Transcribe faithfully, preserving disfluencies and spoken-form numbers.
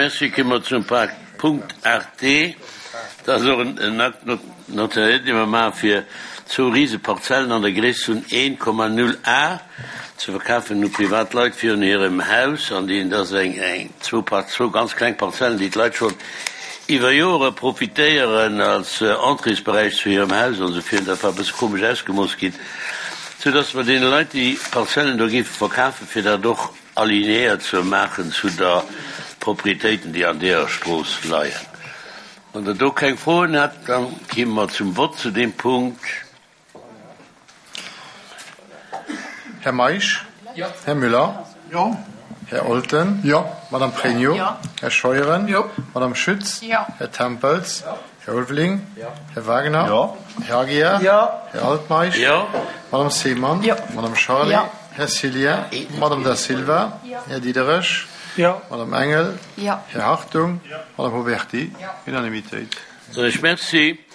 Merci. Komme mer zum Punkt aacht D. Dat ass och en Acte notarié, dee mer maache fir zwou rise Parzellen an der Gréisst vun een Komma null A ze verkafen u privat Leit virun hirem Haus. An déi, dat ass eng, eng, zwou, zwou ganz kleng Parzellen, déi d'Leit schonn iwwer Jore profitéieren als Entréesberäich zu hirem Haus an esou virun. Dat war e bësse komesch ausgemooss ginn, soudass mer deene Leit déi Parzellen do géife verkafen, fir dat och alignéiert ze maachen zu der Proprietéiten, déi an deeër Strooss leien. Wann Der do keng Froen hätt, da kéime mer zum Vott zu deem Punkt. Här Meisch? Jo. Här Müller? Jo. Här Olten? Jo. Madame Pregno? Jo. Här Scheuren? Jo. Madame Schütz? Jo. Här Tempels? Jo. Här Ulveling? Jo. Här Wagner? Jo. Här Aguiar? Jo. Här Altmeisch? Jo. Madame Seemann? Jo. Madame Charlé? Jo. Här Cillien? Madame Da Silva? Jo. Här Diderich? Jo. Madame Engel? Jo. Här Hartung? Jo. Madame Huberty? Jo. Unanimitéit. Soen ech Merci.